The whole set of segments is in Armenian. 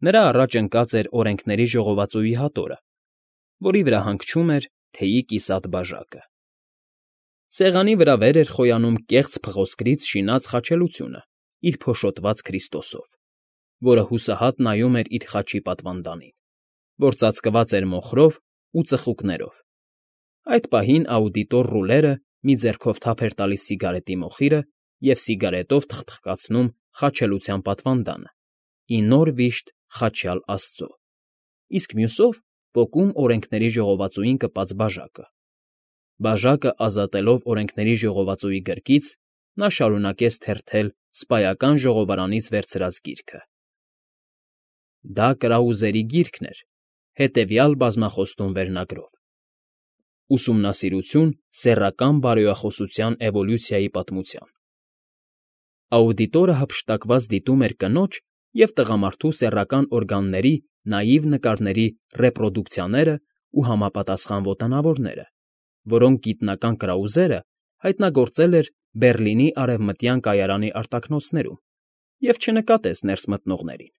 Նրա առաջ ընկած էր օրենքների ժողովածուի հատորը, որի վրա հանգչում էր թեյի կիսատ բաժակը։ Սեղանի վրա վեր էր խոյանում կեղծ փղոսկրից շինած խաչելությունը իր փոշոտված Քրիստոսով, որը հուսահատ նայում էր իր խաչի պատվանդանին, որ ծածկված էր մոխրով ու ծխուկներով։ Այդ պահին աուդիտոր Ռուլերը մի ձեռքով թափ էր տալիս սիգարետի մոխիրը և սիգարետով թխթխկացնում խաչելության պատվանդանը՝ ի նոր վիշտ խաչյալ աստծո, իսկ մյուսով պոկում օրենքների ժողովածուին կպած բաժակը։ Բաժակը ազատելով օրենքների ժողովածուի գրկից, նա շարունակեց թերթել սպայական ժողովարանից վերցրած գիրքը։ Դա կրաուզերի գիրքն էր, հետևյալ բազմախոստում վերնագրով. «Ուսումնասիրություն սեռական բարոյախոսության էվոլյուցիայի պատմության»։ Աուդիտորը հափշտակված դիտում էր կնոջ և տղամարդու սեռական օրգանների նաիվ նկարների ռեպրոդուկցիաներն ու համապատասխան ոտնավորները, որոնք գիտնական կրաուզերը հայտնագործել էր Բեռլինի Արևմտյան կայարանի արտաքնոցներում և չնկատեց ներս մտնողներին։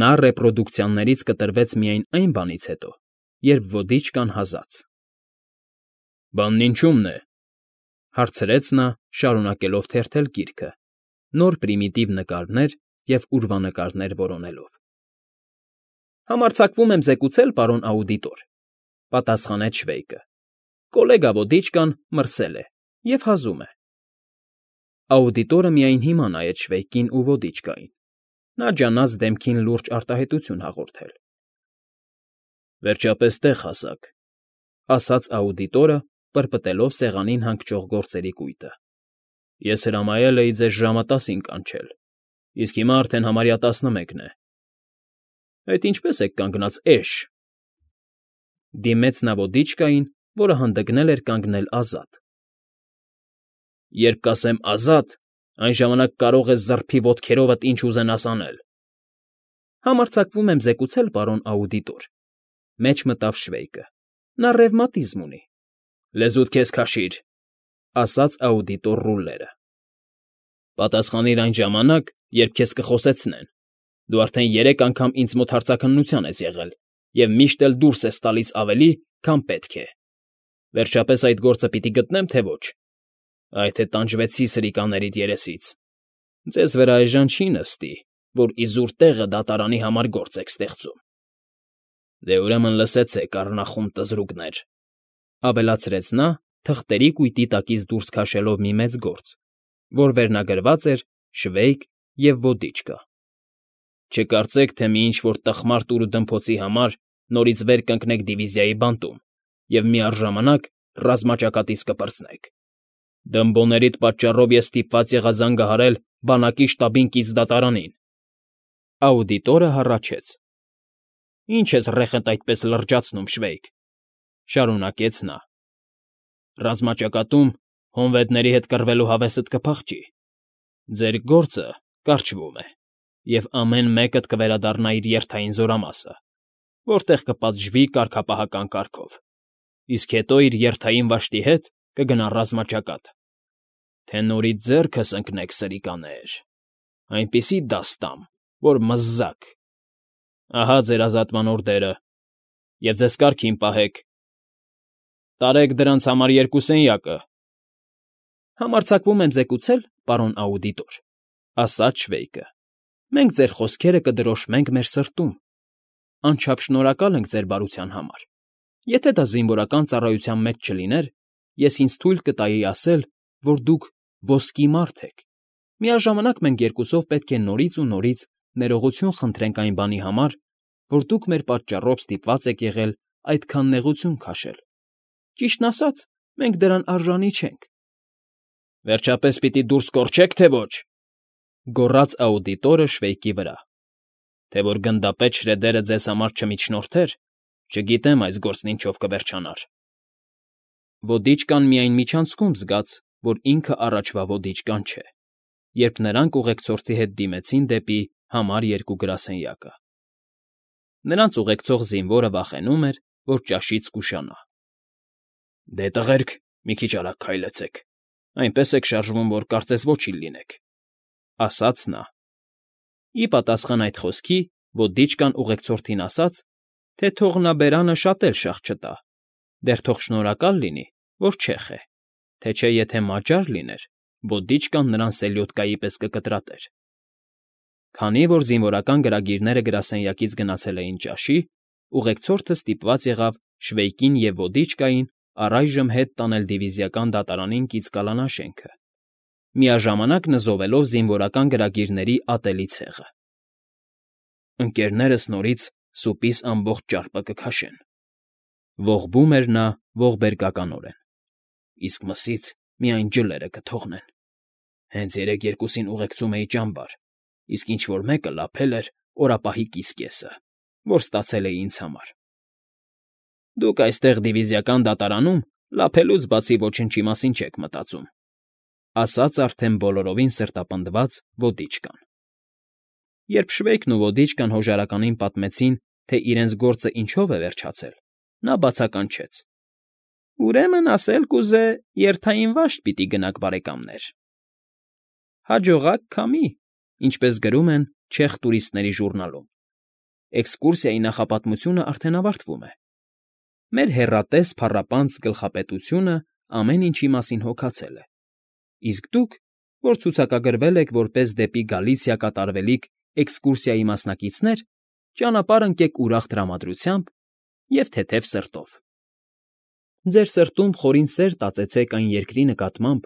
Նա ռեպրոդուկցիաներից կտրվեց միայն այն բանից հետո, երբ ոդիչկան հազաց։ «Բանն ինչո՞ւմն է,֊ հարցրեց նա, շարունակելով թերթել գիրքը, նոր պրիմիտիվ նկարներ և ուրվանկարներ որոնելով։ «Համարձակվում եմ զեկուցել, պարոն աուդիտոր,֊ պատասխանեց Շվեյկը,֊ կոլեգա ոդիչկան մրսել է և հազում է»։ Աուդիտորը միայն հիմա նայեց Շվեյկին ու ոդիչկային. նա ջանաց դեմքին լուրջ արտահայտություն հաղորդել։ «Վերջապես տեղ հասաք,֊ ասաց աուդիտորը, պրպտելով սեղանին հանգչող գործերի կույտը։֊ Ես հրամայել էի ձեզ ժամը 10-ին կանչել, իսկ հիմա արդեն համարյա 11 է։ Այդ ինչպե՞ս եք կանգնած, էշ…»։ Դիմեց նա ոդիչկային, որը հանդգնել էր կանգնել ազատ։ «Երբ կասեմ ազատ, այն ժամանակ կարող ես զռփի ոտքերովդ ինչ ուզենաս անել»։ «Համարձակվում եմ զեկուցել, պարոն աուդիտոր,֊ մեջ մտավ Շվեյկը,֊ նա ռևմատիզմ ունի»։ «Լեզուդ քեզ քաշիր,֊ ասաց աուդիտոր Ռուլլերը։֊ Պատասխանիր այն ժամանակ, երբ քեզ կխոսեցնեն։ Դու արդեն 3 անգամ ինձ մոտ հարցաքննության ես եղել և միշտ էլ դուրս ես տալիս ավելի, քան պետք է։ Վերջապես այդ գործը պիտի գտնեմ, թե ոչ։ Այ թե տանջվեցի սրիկաներիդ երեսից։ Ձեզ վրա այժմ չի նստի, որ իզուր տեղը դատարանի համար գործ եք ստեղծում։ Դե ուրեմն լսեցեք, առնախում տզրուկներ,֊ ավելացրեց նա, թղթերի կույտի տակից դուրս քաշելով մի մեծ գործ, որ վերնագրված էր «Շվեյկ և ոդիչկա»։ Չկարծեք, թե մի ինչ֊որ տխմար տուր֊ուդմփոցի համար նորից վեր կընկնեք դիվիզիայի բանտում և միառժամանակ ռազմաճակատից կպրծնեք։ Դմբոներիդ պատճառով ես ստիպված եղա զանգահարել բանակի շտաբին կից դատարանին։ Աուդիտորը հառաչեց. «Ինչ ես ռեխդ այդպես լրջացնում, Շվեյկ,֊ շարունակեց նա։֊ Ռազմաճակատում հոնվետների հետ կռվելու հավեսդ կփախչի։ Ձեր գործը կարգվում է, և ամեն մեկդ կվերադառնա իր երթային զորամասը, որտեղ կպատժվի կարգապահական կարգով, իսկ հետո իր երթային վաշտի հետ կգնա ռազմաճակատ, թե նորից ձեռքս ընկնեք, սրիկաներ, այնպիսի դաս տամ, որ մզզաք։ Ահա ձեր ազատման օրդերը, և ձեզ կարգին պահեք։ Տարեք դրանց համար 2 սենյակը»։ «Համարձակվում եմ զեկուցել, պարոն աուդիտոր,֊ ասաց Շվեյկը,֊ մենք ձեր խոսքերը կդրոշմենք մեր սրտում։ Անչափ շնորհակալ ենք ձեր բարության համար։ Եթե դա զինվորական ծառայության մեջ չլիներ, ես ինձ թույլ կտայի ասել, որ դուք ոսկի մարդ եք։ Միաժամանակ մենք երկուսով պետք է նորից ու նորից ներողություն խնդրենք այն բանի համար, որ դուք մեր պատճառով ստիպված եք եղել այդքան նեղություն քաշել։ Ճիշտն ասած, մենք դրան արժանի չենք»։ «Վերջապես պիտի դուրս կորչե՞ք, թե ոչ,֊ գոռաց աուդիտորը Շվեյկի վրա։ Թե որ գնդապետ Շրեդերը ձեզ համար չմիջնորդեր, չգիտեմ այս գործն ինչով կվերջանար։ Ոդիչկան միայն միջանցքում զգաց, որ ինքը առաջվա ոդիչկան չէ, երբ նրանք ուղեկցորդի հետ դիմեցին դեպի համար 2 գրասենյակը։ Նրանց ուղեկցող զինվորը վախենում էր, որ ճաշից կուշանա։ «Դե, տղերք, մի քիչ արագ քայլեցեք, այնպես եք շարժվում, որ կարծես ոչինչ լինեք»,֊ ասաց նա։ Ի պատասխան այդ խոսքի ոդիչկան ուղեկցորդին ասաց, թե թող նա բերանը շատ էլ շաղ չտա, դեռ թող շնորհակալ լինի, որ չեխ է, թե չէ եթե մաճար լիներ, ոդիչկան նրան սելյոդկայի պես կկտրատեր։ Քանի որ զինվորական գրագիրները գրասենյակից գնացել էին ճաշի, ուղեկցորդը ստիպված եղավ Շվեյկին և ոդիչկային առայժմ հետ տանել դիվիզիական դատարանին կից կալանա շենքը, միաժամանակ նզովելով զինվորական գրագիրների ատելի ցեղը։ Ընկերներս նորից սուպիս ամբողջ ճարպը կքաշեն, ողբում էր նա ողբերգականորեն, իսկ մսից միայն ջլերը կթողնեն։ Հենց երեկ երկուսին ուղեկցում էի ճամբար, իսկ ինչ֊որ մեկը լափել էր օրապահի կիսկեսը, որ ստացել էի ինձ համար։ Դուք այստեղ դիվիզիական դատարանում լափելուց բացի ոչնչի մասին չեք մտածում, ասաց արդեն բոլորովին սրտապնդված ոդիչկան։ Երբ Շվեյկն ու ոդիչկան հոժարականին պատմեցին, թե իրենց գործը ինչով է վերջացել, նա բացականչեց. Ուրեմն ասել կուզե, երթային վաշտ պիտի գնաք, բարեկամներ։ Հաջողակ քամի, ինչպես գրում են չեխ տուրիստների ժուրնալում։ Էքսկուրսիայի նախապատմությունը արդեն ավարտվում է։ Մեր հեռատես փառապանծ գլխապետությունը ամեն ինչի մասին հոգացել է։ Իսկ դուք, որ ցուցակագրվել եք որպես դեպի Գալիցիա կատարվելիք էքսկուրսիայի մասնակիցներ, ճանապարհ ընկեք ուրախ տրամադրությամբ և թեթև սրտով։ Ձեր սրտում խորին սեր տածեցեք այն երկրի նկատմամբ,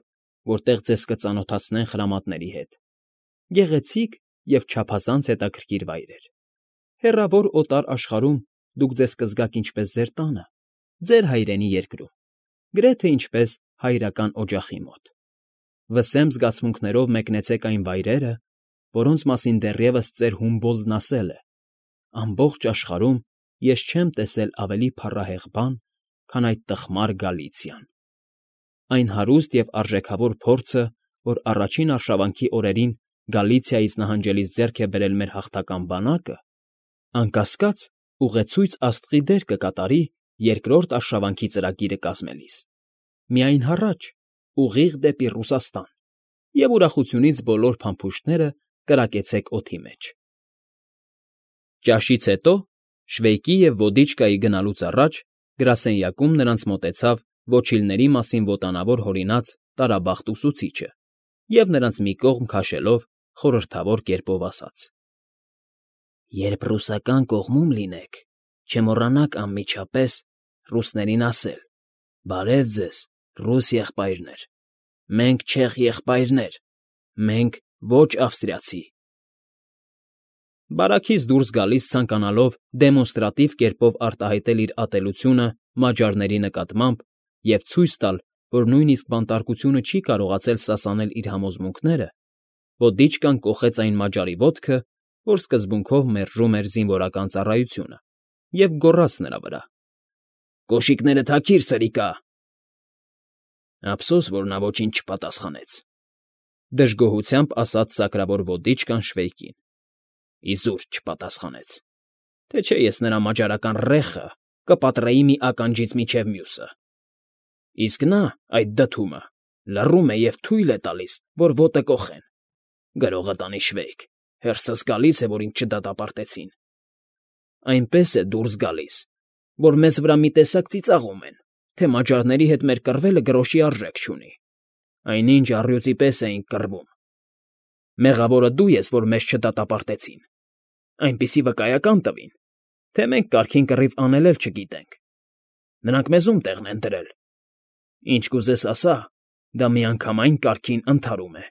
որտեղ ձեզ կծանոթացնեն խրամատների հետ, գեղեցիկ և չափազանց հետաքրքիր վայրեր։ Հեռավոր օտար աշխարհում դուք ձեզ կզգաք ինչպես ձեր տանը, ձեր հայրենի երկրում, գրեթե ինչպես հայրական օջախի մոտ։ Վսեմ զգացմունքներով մեկնեցեք այն վայրերը, որոնց մասին դեռևս ծեր Հումբոլդն ասել է. ամբողջ աշխարհում ես չեմ տեսել ավելի փառահեղ բան, քան այդ տխմար Գալիցիան։ Այն հարուստ և արժեքավոր փորձը, որ առաջին արշավանքի օրերին Գալիցիայից նահանջելիս ձեռք է բերել մեր հաղթական բանակը, անկասկած ուղեցույց աստղի դեր կկատարի երկրորդ արշավանքի ծրագիրը կազմելիս։ Միայն հառաջ, ուղիղ դեպի Ռուսաստան, և ուրախությունից բոլոր փամփուշտները կրակեցեք օդի մեջ։ Ճաշից հետո, Շվեյկի և ոդիչկայի գնալուց առաջ, գրասենյակում նրանց մոտեցավ ոչիլների մասին ոտանավոր հորինած տարաբախտ ուսուցիչը և նրանց մի կողմ քաշելով խորհրդավոր կերպով ասաց. Երբ ռուսական կողմում լինեք, չմոռանաք անմիջապես ռուսներին ասել. «Բարև ձեզ, ռուս եղբայրներ, մենք չեխ եղբայրներ, մենք ոչ ավստրիացի»։ Բարաքից դուրս գալիս ցանկանալով դեմոնստրատիվ կերպով արտահայտել իր ատելությունը մաջարների նկատմամբ և ցույց տալ, որ նույնիսկ բանտարկությունը չի կարողացել սասանել իր համոզմունքները, ոդիչկան կոխեց այն մաջարի ոտքը, որ սկզբունքով մերժում էր զինվորական ծառայությունը, և գոռաց նրա վրա. «Կոշիկները թաքիր, սրիկա»։ Ափսոս, որ նա ոչինչ չպատասխանեց, դժգոհությամբ ասաց սակրավոր ոդիչկան Շվեյկին։ Իզուր չպատասխանեց, թե չէ ես նրա մաջարական ռեխը կպատրեի մի ականջից մինչև մյուսը։ Իսկ նա, այդ դդումը, լռում է և թույլ է տալիս, որ ոտը կոխեն։ Գրողը տանի Շվեյկ, հերսս գալիս է, որ ինձ չդատապարտեցին։ Այնպես է դուրս գալիս, որ մեզ վրա մի տեսակ ծիծաղում են, թե մաջարների հետ մեր կռվելը գրոշի արժեք չունի։ Այնինչ առյուծի պես էինք կռվում։ Մեղավորը դու ես, որ մեզ չդատապարտեցին։ Այնպիսի վկայական տվին, թե մենք կարգին կռիվ անել էլ չգիտենք։ Նրանք մեզ ում տեղն են դրել։ Ինչ կուզես ասա, դա միանգամայն կարգին ընդհարում է։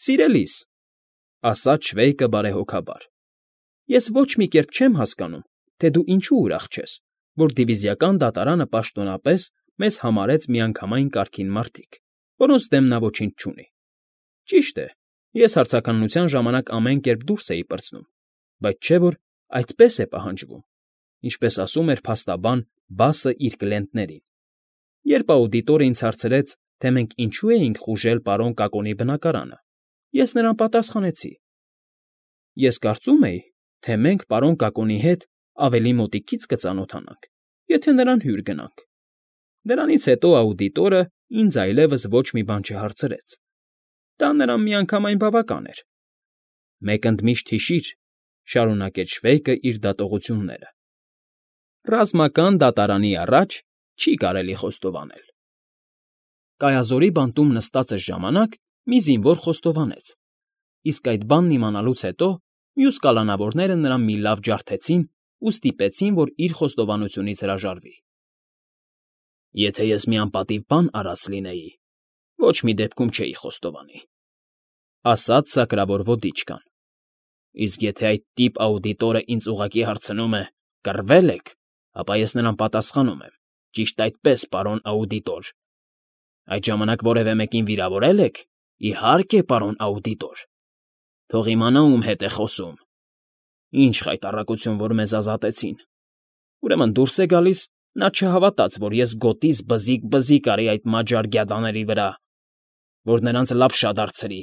Սիրելիս, ասաց Շվեյկը բարեհոգաբար, ես ոչ մի կերպ չեմ հասկանում, թե դու ինչու ուրախ չես, որ դիվիզիական դատարանը պաշտոնապես մեզ համարեց միանգամայն կարգին մարդիկ, որոնց դեմ նա ոչինչ չունի։ Ճիշտ է, ես հարցականության ժամանակ ամեն կերպ դուրս էի պրծնում, բայց չէ՞ որ այդպես է պահանջվում, ինչպես ասում էր փաստաբան Բասը իր կլիենտներին։ Երբ աուդիտորը ինձ հարցրեց, թե մենք ինչու էինք խուժել պարոն Կակոնի բնակարանը, ես նրան պատասխանեցի. Ես կարծում էի, թե մենք պարոն Կակոնի հետ ավելի մոտիկից կծանոթանանք, եթե նրան հյուր գնանք։ Դրանից հետո աուդիտորը ինձ այլևս ոչ մի բան չհարցրեց։ Դա նրան միանգամայն բավական էր։ Մեկ ընդմիշտ հիշիր, շարունակեց Շվեյկը իր դատողությունները. ռազմական դատարանի առաջ չի կարելի խոստովանել։ Կայազորի բանտում նստածս ժամանակ մի զինվոր խոստովանեց, իսկ այդ բանն իմանալուց հետո մյուս կալանավորները նրան մի լավ ջարդեցին ու ստիպեցին, որ իր խոստովանությունից հրաժարվի։ Եթե ես մի անպատիվ բան արած լինեի, ոչ մի դեպքում չէի խոստովանի, ասաց սակրավոր ոդիչկան։ Իսկ եթե այդ տիպ աուդիտորը ինձ ուղղակի հարցնում է. «Կռվե՞լ եք», ապա ես նրան պատասխանում եմ. «Ճիշտ այդպես, պարոն աուդիտոր»։ Այդ ժամանակ որևէ մեկին վիրավորել եք։ Իհարկե, պարոն աուդիտոր։ Թող իմանա ում հետ է խոսում։ Ինչ խայտառակություն, որ մեզ ազատեցին։ Ուրեմն դուրս է գալիս, նա չհավատաց, որ ես գոտիս բզիկ արի այդ մաջար գյադաների վրա, որ նրանց լապշա դարձրի,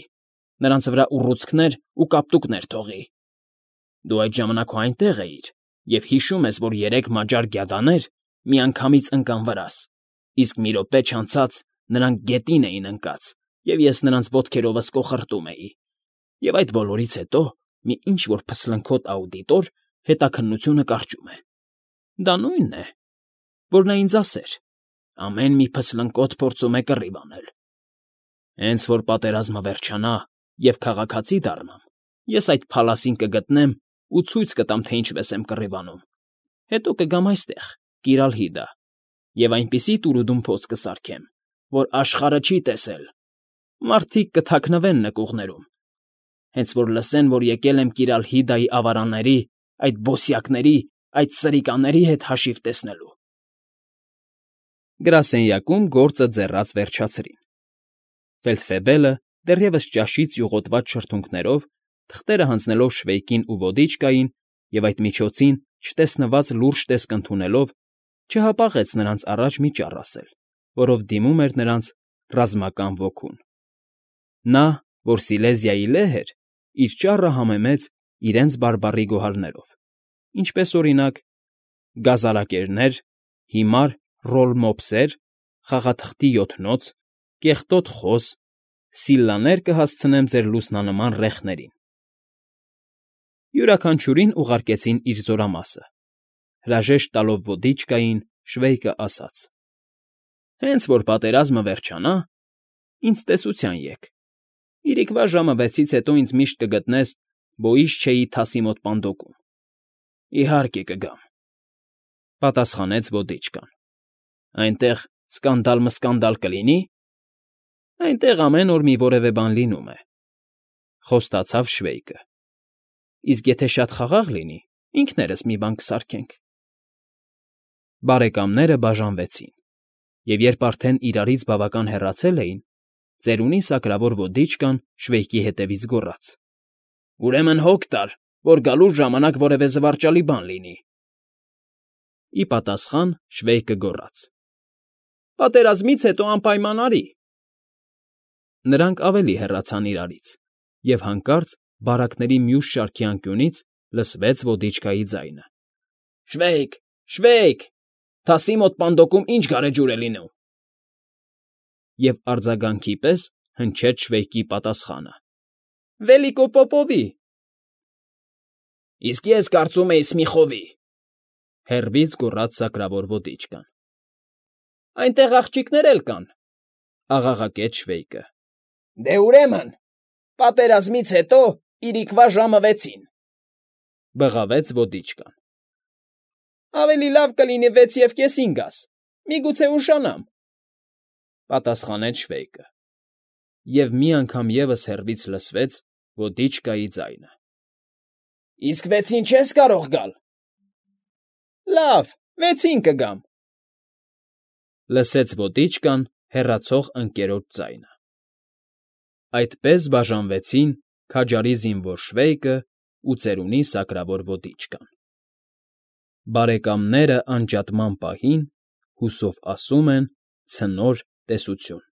նրանց վրա ուռուցքներ ու կապտուկներ թողի։ Դու այդ ժամանակ հո այնտեղ էիր և հիշում ես, որ 3 մաջար գյադաներ միանգամից ընկան վրաս, իսկ մի րոպե չանցած նրանք գետին էին ընկած, և ես նրանց ոտքերովս կոխռտում էի, և այդ բոլորից հետո մի ինչ֊որ փսլնքոտ աուդիտոր հետաքննությունը կարճում է։ Դա նույնն է, որ նա ինձ ասեր. ամեն մի փսլնկոտ փորձում է կռիվ անել։ Հենց որ պատերազմը վերջանա և քաղաքացի դառնամ, ես այդ փալասին կգտնեմ ու ցույց կտամ, թե ինչպես եմ կռիվ անում։ Հետո կգամ այստեղ, Կիրալհիդա, և այնպիսի տուրուդում փոց կսարքեմ, որ աշխարհը չի տեսել։ Մարդիկ կթաքնվեն նկուղներում, հենց որ լսեն, որ եկել եմ Կիրալհիդայի ավարանների, այդ բոսյակների, այդ սրիկաների հետ հաշիվ տեսնելու։ Գրասենյակում գործը ձեռաց վերջացրին։ Ֆելդֆեբելը դեռևս ճաշից յուղոտված շրթունքներով, թղթերը հանձնելով Շվեյկին ու ոդիչկային և այդ միջոցին չտեսնված լուրջ տեսք ընդունելով, չհապաղեց նրանց առաջ մի ճառ ասել, որով դիմում էր նրանց ռազմական ոգուն։ Նա, որ Սիլեզիայի լեհ էր, իր ճառը համեմեց իրենց բարբառի գոհարներով, ինչպես օրինակ. գազալակերներ, հիմար ռոլմոփսեր, խաղաթղթի յոթնոց, կեղտոտ խոզ, սիլլաներ կհասցնեմ ձեր լուսնանման ռեխներին։ Յուրաքանչյուրին ուղարկեցին իր զորամասը։ Հրաժեշտ տալով ոդիչկային, Շվեյկը ասաց. Հենց որ պատերազմը վերջանա, ինձ տեսության եկ։ Իրիկվա ժամը 6-ից հետո ինձ միշտ կգտնես Բոիշչեի թասի մոտ պանդոկում։ Իհարկե կգամ, պատասխանեց ոդիչկան։ Այնտեղ սկանդալ կլինի։ Այնտեղ ամեն օր մի որևէ բան լինում է, խոստացավ Շվեյկը։ Իսկ եթե շատ խաղաղ լինի, ինքներս մի բան կսարքենք։ Բարեկամները բաժանվեցին, և երբ արդեն իրարից բավական հեռացել էին, ծերունի սակրավոր ոդիչկան Շվեյկի հետևից գոռաց. Ուրեմն հոգ տար, որ գալու ժամանակ որևէ զվարճալի բան լինի։ Ի պատասխան Շվեյկը գոռաց. Պատերազմից հետո անպայման արի։ Նրանք ավելի հեռացան իրարից, և հանկարծ բարակների մյուս շարքի անկյունից լսվեց ոդիչկայի ձայնը. Շվեյկ, Շվեյկ, թասի մոտ պանդոկում ինչ գարեջուր է լինում։ Եվ արձագանքի պես հնչեց Շվեյկի պատասխանը. Վելիկոպոպովի։ Իսկ ես կարծում էի Սմիխովի, հեռվից գոռաց սակրավոր ոդիչկան։ Այնտեղ աղջիկներ էլ կան, աղաղակեց Շվեյկը։ Դե ուրեմն, պատերազմից հետո իրիկվա ժամը 6-ին, բղավեց ոդիչկան։ Ավելի լավ կլինի 6:30 գաս, միգուցե ուշանամ, պատասխանեց Շվեյկը։ Եվ մի անգամ ևս հեռվից լսվեց ոդիչկայի ձայնը. Իսկ 6-ին չես կարող գալ։ Լավ, 6-ին կգամ, լսեց ոդիչկան հեռացող ընկերոջ ձայնը։ Այդպես բաժանվեցին քաջարի զինվոր Շվեյկը ու ծերունի սակրավոր ոդիչկան։ Բարեկամները անջատման պահին հուսով ասում են ցնոր տեսություն։